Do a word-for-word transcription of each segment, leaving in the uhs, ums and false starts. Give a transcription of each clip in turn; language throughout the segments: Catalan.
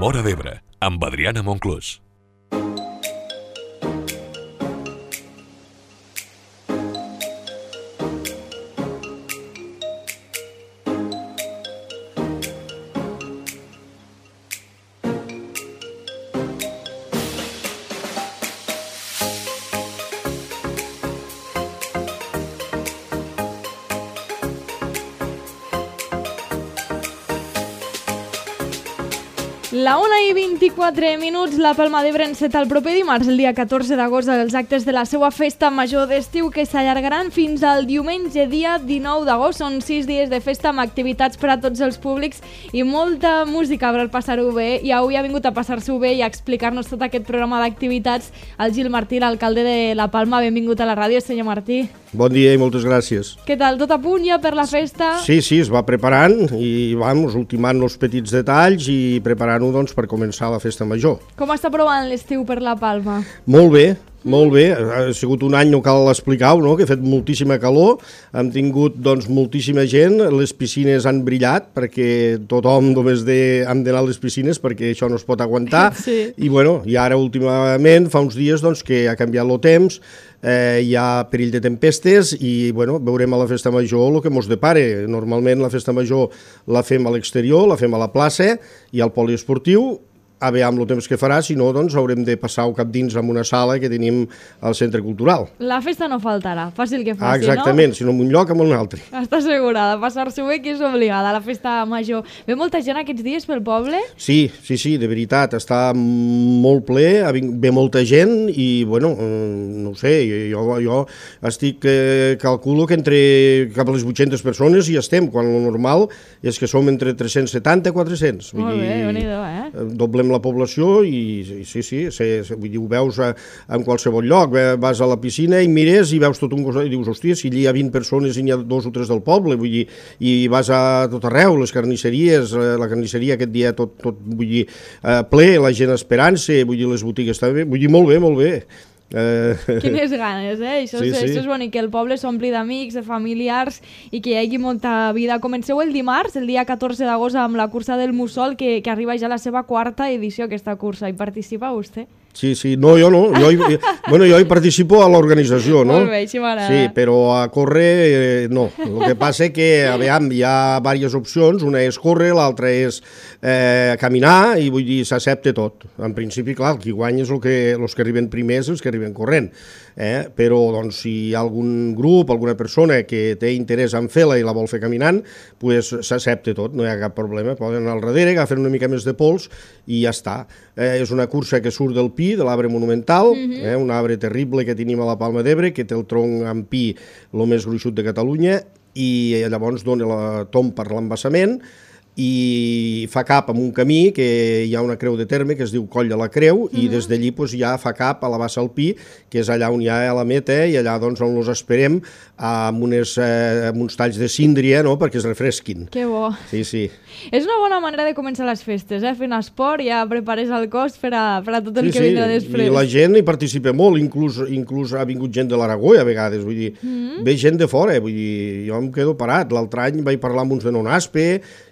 Móra d'Ebre, amb Adriana Monclús. La una i vint-i-quatre minuts, la Palma d'Ebre enceta el proper dimarts, el dia catorze d'agost, els actes de la seva festa major d'estiu que s'allargaran fins al diumenge, dia dinou d'agost. Són sis dies de festa amb activitats per a tots els públics i molta música per passar-ho bé. I avui ha vingut a passar-s'ho bé i a explicar-nos tot aquest programa d'activitats el Gil Martí, l'alcalde de la Palma. Benvingut a la ràdio, senyor Martí. Bon dia i moltes gràcies. Què tal? Tot a punt ja per la festa? Sí, sí, es va preparant i vamos, ultimant els petits detalls i preparant-ho doncs, per començar la festa major. Com està provant l'estiu per la Palma? Molt bé, molt bé. Ha sigut un any, no cal explicar-ho, no? Que ha fet moltíssima calor, hem tingut doncs, moltíssima gent, les piscines han brillat perquè tothom només de, hem d'anar a les piscines perquè això no es pot aguantar. Sí. I, bueno, i ara últimament, fa uns dies doncs, que ha canviat el temps, Eh, hi ha perill de tempestes i bueno, veurem a la festa major el que mos depare. Normalment la festa major la fem a l'exterior, la fem a la plaça i al poliesportiu, a veure amb el temps que farà, si no doncs haurem de passar-ho cap dins en una sala que tenim al centre cultural. La festa no faltarà, fàcil que faci, ah, exactament, no? si no en un lloc, en un altre. Està assegurada, passar-s'ho bé que és obligada a la festa major. Ve molta gent aquests dies pel poble? Sí, sí, sí, de veritat, està molt ple, ve molta gent i, bueno, no ho sé, jo, jo estic, eh, calculo que entre cap a les vuit-centes persones hi estem, quan el normal és que som entre tres-cents setanta i quatre-cents. Molt bé, déu-n'hi-do, eh? Doblem la població i sí, sí, sí, vull dir, ho veus a, en qualsevol lloc, vas a la piscina i mires i veus tot un costat i dius, hòstia, si hi ha vint persones i n'hi ha dos o tres del poble, vull dir, i vas a tot arreu, les carnisseries, la carnisseria aquest dia tot, tot vull dir, ple, la gent esperant-se, vull dir, les botigues també, vull dir, molt bé, molt bé. Uh... Quines ganes, eh? Això, sí, és, sí. això és bonic, que el poble s'ompli d'amics, de familiars i que hi hagi molta vida. Comenceu el dimarts, el dia catorze d'agost, amb la cursa del Mussol, que, que arriba ja a la seva quarta edició, aquesta cursa. Hi participa vostè? Sí, sí, no, jo no, jo hi, bueno, jo hi participo a l'organització, no? Molt bé, així m'agrada. Sí, però a córrer, eh, no. El que passa és que, aviam, hi ha diverses opcions, una és córrer, l'altra és eh, caminar, i vull dir, s'accepta tot. En principi, clar, el qui guanya és el que, els que arriben primers, els que arriben corrent. Eh? Però, doncs, si hi ha algun grup, alguna persona que té interès en fer-la i la vol fer caminant, pues s'accepta tot, no hi ha cap problema. Poden anar al darrere, agafen una mica més de pols i ja està. Eh, és una cursa que surt del pi, de l'arbre monumental, uh-huh. eh, un arbre terrible que tenim a la Palma d'Ebre, que té el tronc en pi el més gruixut de Catalunya, i llavors dona la tomb per l'embassament, i fa cap amb un camí que hi ha una creu de terme que es diu Coll de la Creu, uh-huh. i des d'allí pues, ja fa cap a la Bassa al Pi, que és allà on hi ha la meta, i allà doncs, on els esperem amb, unes, eh, amb uns talls de síndria, no?, perquè es refresquin. Que bo. Sí, sí. És una bona manera de començar les festes, eh? Fent esport, ja prepares el cos per a, per a tot el sí, que vindrà després. I la gent hi participa molt, inclús, inclús ha vingut gent de l'Aragó a vegades, vull dir, mm-hmm. ve gent de fora, vull dir, jo em quedo parat. L'altre any vaig parlar amb uns de Nonaspe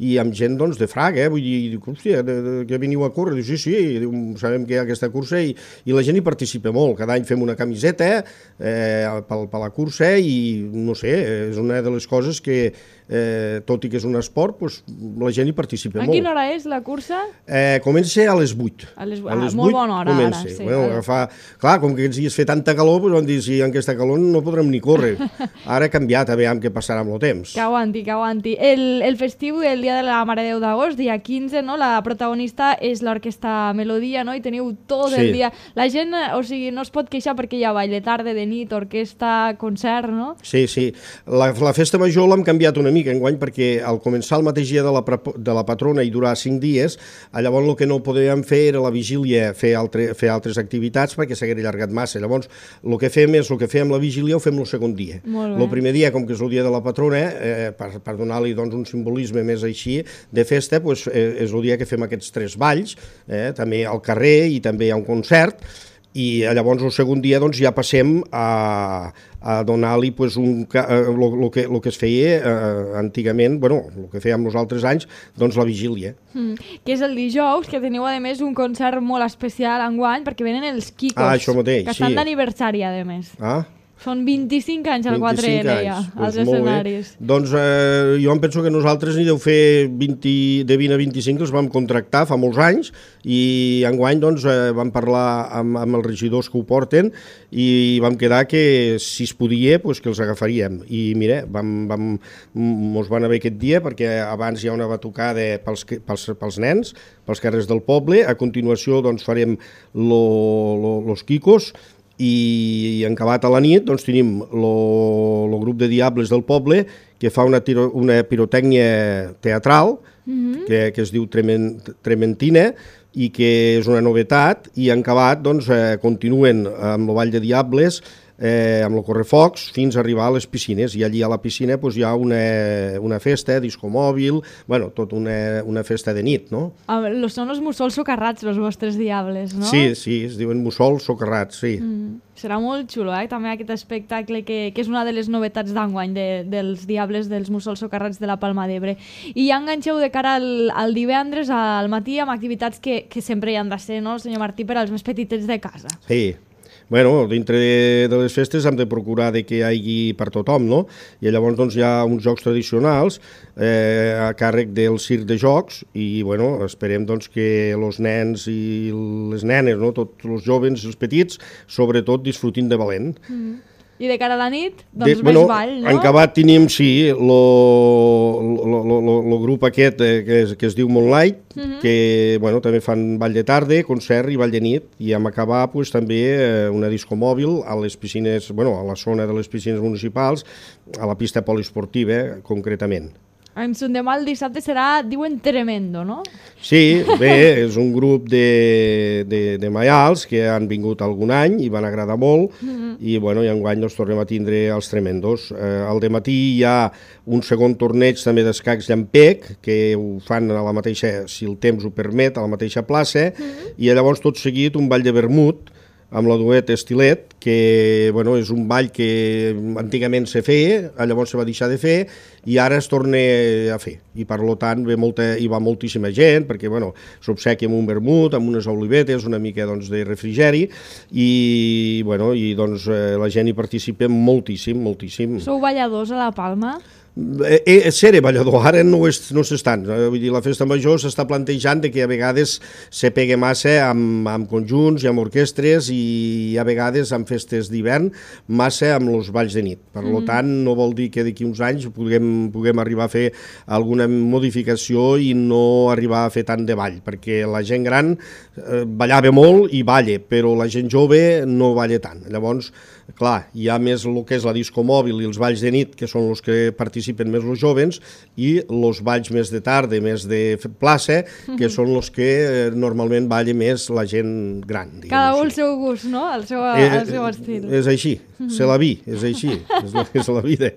i amb gent doncs, de Fraga, eh? Vull dir, dic, hòstia, de, de, que veniu a córrer? Diu, sí, sí, diu, sabem que hi ha aquesta cursa i, i la gent hi participa molt. Cada any fem una camiseta eh, per, per la cursa i, no sé, és una de les coses que, eh, tot i que és un esport, pues, la gent hi participa molt. A quina hora és la cursa? Eh, comença a les vuit. A les, a les molt bona hora, comença. ara. Sí, bueno, agafar... Clar, com que aquests dies fa tanta calor, pues, vam dir, si en aquesta calor no podrem ni córrer. Ara ha canviat, a veure què passarà amb el temps. Que aguanti, que aguanti. El, el festiu, el dia de la Mare de Déu d'agost, dia quinze, no? La protagonista és l'orquestra Melodia, no? I teniu tot sí. el dia. La gent, o sigui, no es pot queixar perquè hi ha ball de tarda, de nit, orquestra, concert, no? Sí, sí. La, la festa major l'hem canviat una mica enguany perquè al començar el mateix dia de la, de la patrona i durar cinc dies, llavors el que no podíem fer era la vigília, fer, altre, fer altres activitats perquè s'hagués allargat massa. Llavors, el que fem és el que fem la vigília ho fem el segon dia. El primer dia, com que és el dia de la patrona, eh, per, per donar-li doncs, un simbolisme més així, de festa, pues, eh, és el dia que fem aquests tres balls, eh, també al carrer i també hi ha un concert, i llavors el segon dia doncs, ja passem a, a donar-li pues, un, el, el, que, el que es feia eh, antigament, bueno, el que fèiem els altres anys, doncs la vigília. Mm. Que és el dijous, que teniu a més un concert molt especial enguany, perquè venen els Kikos, ah, això mateix, que estan sí. d'aniversari a més. Ah, Són vint-i-cinc anys al quatre L ja, als pues escenaris. Doncs eh, jo em penso que nosaltres n'hi deu fer vint, de vint a vint-i-cinc, els vam contractar fa molts anys i enguany doncs, eh, vam parlar amb, amb els regidors que ho porten i vam quedar que si es podia pues, que els agafaríem. I mira, vam, vam, mos van haver aquest dia perquè abans hi ha una batucada pels, pels, pels nens, pels carrers del poble, a continuació doncs, farem lo, lo, los Kikos, i en acabat a la nit doncs, tenim el grup de Diables del poble que fa una, tiro, una pirotècnia teatral mm-hmm. que, que es diu Tremen, Trementina i que és una novetat i en acabat doncs, eh, continuen amb el Ball de Diables eh, amb el correfocs fins a arribar a les piscines i allí a la piscina doncs, hi ha una, una festa, disco mòbil, bueno, tot una, una festa de nit, no? Ah, són els mussols socarrats, els vostres Diables, no? Sí, sí, es diuen mussols socarrats, sí. Mm. Serà molt xulo, eh? També aquest espectacle que, que és una de les novetats d'enguany de, dels Diables, dels mussols socarrats de la Palma d'Ebre. I ja enganxeu de cara al, al divendres, al matí, amb activitats que, que sempre hi han de ser, no, senyor Martí, per als més petitets de casa. Sí. Bueno, dintre de les festes hem de procurar de que hi hagi per tothom, no? I llavors doncs, hi ha uns jocs tradicionals eh, a càrrec del circ de jocs i bueno, esperem doncs, que els nens i les nenes, no? Tots els joves i els petits, sobretot disfrutin de valent. Mm. I de cara a la nit, doncs de, més bueno, ball, no? En acabat tenim, sí, el grup aquest eh, que, es, que es diu Moonlight, mm-hmm. que bueno, també fan ball de tarda, concert i ball de nit, i hem acabat pues, també eh, una disco mòbil a les piscines, bueno, a la zona de les piscines municipals, a la pista poliesportiva, concretament. En Sondemà el dissabte serà, diuen, tremendo, no? Sí, bé, és un grup de, de, de maials que han vingut algun any i van agradar molt mm-hmm. i, bueno, i enguany doncs, tornem a tindre els tremendos. Eh, al dematí hi ha un segon torneig també d'escacs llampec que ho fan a la mateixa, si el temps ho permet, a la mateixa plaça mm-hmm. i llavors tot seguit un ball de vermut amb la duet Estilet, que bueno, és un ball que antigament se feia, llavors se va deixar de fer i ara es torna a fer. I per tant ve molta, hi va moltíssima gent, perquè bueno, s'obsequia amb un vermut, amb unes olivetes, una mica doncs, de refrigeri, i, bueno, i doncs, eh, la gent hi participa moltíssim, moltíssim. Sou balladors a la Palma? Eh, seré ballador, ara no, és, no s'estan, vull dir, la festa major s'està plantejant de que a vegades se pegue massa amb, amb conjunts i amb orquestres i a vegades amb festes d'hivern massa amb els balls de nit, per mm. tant no vol dir que d'aquí uns anys puguem, puguem arribar a fer alguna modificació i no arribar a fer tant de ball, perquè la gent gran eh, ballava molt i balla, però la gent jove no balla tant, llavors clar, hi ha més el que és la disco mòbil i els balls de nit, que són els que participen més els jovens, i els balls més de tarda, més de plaça, que són els que eh, normalment balla més la gent gran. Cada un el seu gust, no? El seu, eh, el seu estil. És així, se la vi, és així, és la, és la vida.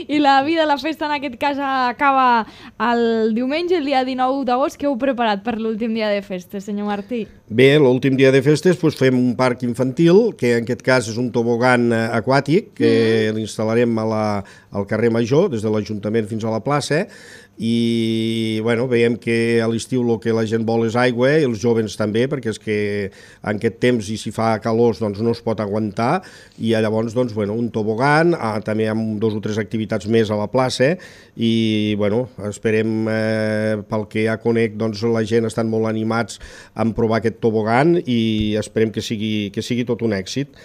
I la vida, la festa en aquest cas acaba el diumenge, el dia dinou d'agost. Què heu preparat per l'últim dia de festes, senyor Martí? Bé, l'últim dia de festes doncs, fem un parc infantil, que en aquest cas és un tobogan aquàtic, que mm. l'instal·larem a la, al carrer Major, des de l'Ajuntament fins a la plaça, i bueno, veiem que a l'estiu el que la gent vol és aigua, i els joves també, perquè és que en aquest temps, i si fa calor, doncs no es pot aguantar, i llavors, doncs, bueno, un tobogan, ah, també amb dos o tres activitats més a la plaça, i bueno, esperem, eh, pel que ja conec, doncs la gent estan molt animats en provar aquest tobogan, i esperem que sigui, que sigui tot un èxit.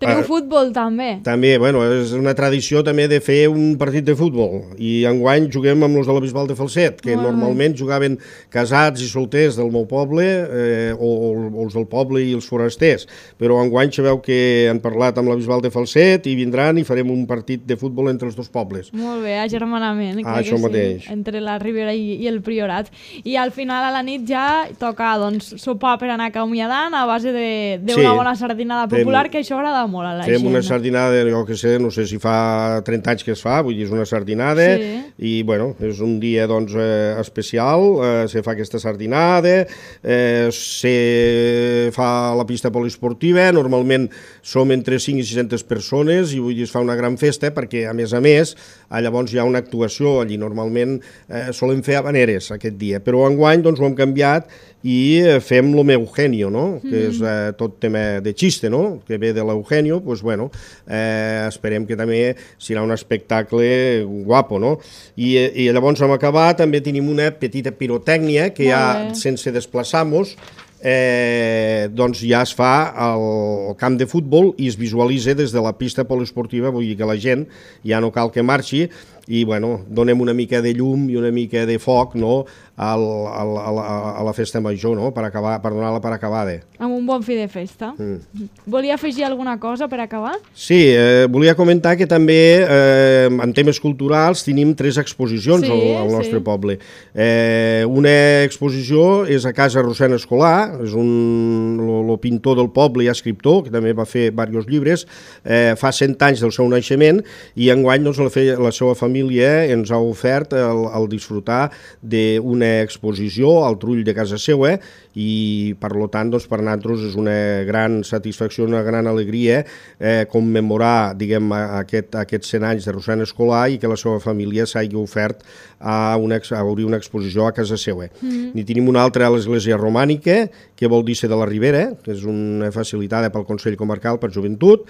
Teniu futbol, també. També, bueno, és una tradició també de fer un partit de futbol. I enguany juguem amb els de la Bisbal de Falset, que ah. normalment jugaven casats i solters del meu poble, eh, o, o els del poble i els forasters. Però enguany sabeu que han parlat amb la Bisbal de Falset i vindran i farem un partit de futbol entre els dos pobles. Molt bé, agermanament. Ah, això mateix. Sí, entre la Ribera i, i el Priorat. I al final a la nit ja toca doncs, sopar per anar acomiadant a base d'una sí, bona sardinada popular, que això agrada molt. molt a la Fem gent. una sardinada, jo que sé, no sé si fa trenta anys que es fa, vull dir, és una sardinada, Sí. i, bueno, és un dia, doncs, eh, especial, eh, se fa aquesta sardinada, eh, se fa la pista poliesportiva, normalment som entre cinc i sis-centes persones, i vull dir, es fa una gran festa, perquè, a més a més, llavors hi ha una actuació, allí normalment eh, solem fer habaneres aquest dia, però enguany, doncs, ho hem canviat i fem lo Eugenio, no? Mm. Que és eh, tot tema de xiste, no? Que ve de l'Eugenio, doncs, bueno, eh, esperem que també serà un espectacle guapo, no? I, i llavors hem acabat, també tenim una petita pirotècnia que ja, sense desplaçar-nos, eh, doncs ja es fa al camp de futbol i es visualitza des de la pista poliesportiva, vull dir que la gent ja no cal que marxi, i bueno, donem una mica de llum i una mica de foc, no?, al, al, a, la, a la festa major, no?, per, acabar, per donar-la per acabada. Amb un bon fi de festa. Mm. Volia afegir alguna cosa per acabar? Sí, eh, volia comentar que també eh, en temes culturals tenim tres exposicions sí, al, al nostre sí. poble. Eh, una exposició és a Casa Rossena Escolar, és un, lo, lo pintor del poble i escriptor, que també va fer diversos llibres, eh, fa cent anys del seu naixement, i enguany doncs, la, fe, la seva família ens ha ofert el, el disfrutar d'una exposició al trull de casa seva, i per lo tant doncs, per nosaltres és una gran satisfacció, una gran alegria eh, commemorar, diguem, aquest, aquests cent anys de Rossena Escolar i que la seva família s'hagi ofert a, una, a obrir una exposició a casa seva. Mm. Ni tenim una altra a l'Església Romànica, que vol dir ser de la Ribera, que és una facilitada pel Consell Comarcal per Joventut,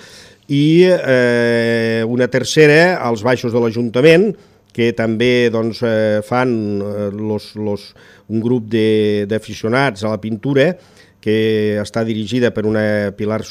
i eh, una tercera als baixos de l'Ajuntament, que també doncs, eh, fan eh, los, los, un grup d'aficionats a la pintura, que està dirigida per una Pilar,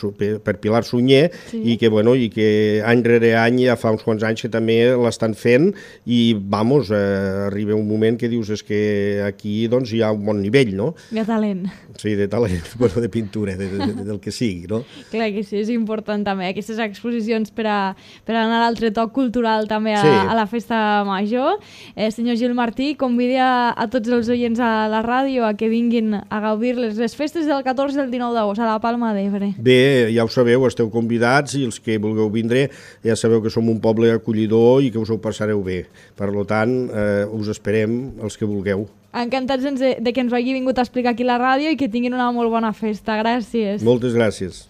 per Pilar Sunyer, sí. i que, bueno, i que any rere any, ja fa uns quants anys que també l'estan fent, i, vamos, eh, arriba un moment que dius és que aquí doncs, hi ha un bon nivell, no? De talent. Sí, de talent, bueno, de pintura, de, de, de, del que sigui, no? Clar que sí, és important també, aquestes exposicions per a, per a anar a l'altre toc cultural també a, sí. a la festa major. Eh, senyor Gil Martí, convidi a, a tots els oients a la ràdio a que vinguin a gaudir-les les festes del catorze i el dinou d'agost a la Palma d'Ebre. Bé, ja ho sabeu, esteu convidats, i els que vulgueu vindre ja sabeu que som un poble acollidor i que us ho passareu bé. Per tant, eh, us esperem els que vulgueu. Encantats de, de que ens ho hagi vingut a explicar aquí a la ràdio i que tinguin una molt bona festa. Gràcies. Moltes gràcies.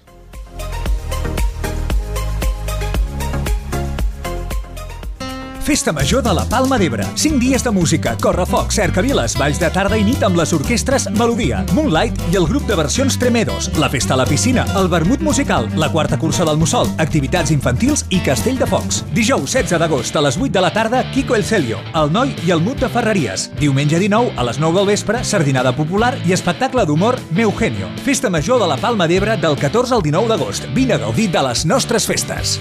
Festa Major de la Palma d'Ebre. cinc dies de música, correfoc, cercaviles, balls de tarda i nit amb les orquestres Melodia, Moonlight i el grup de versions Tremedos, la festa a la piscina, el vermut musical, la quarta cursa del Mussol, activitats infantils i castell de focs. Dijous setze d'agost a les vuit de la tarda, Kiko El Celio, el Noi i el Mut de Ferreries. Diumenge dinou a les nou del vespre, sardinada popular i espectacle d'humor Eugenio. Festa Major de la Palma d'Ebre del catorze al dinou d'agost. Vine a gaudir de les nostres festes.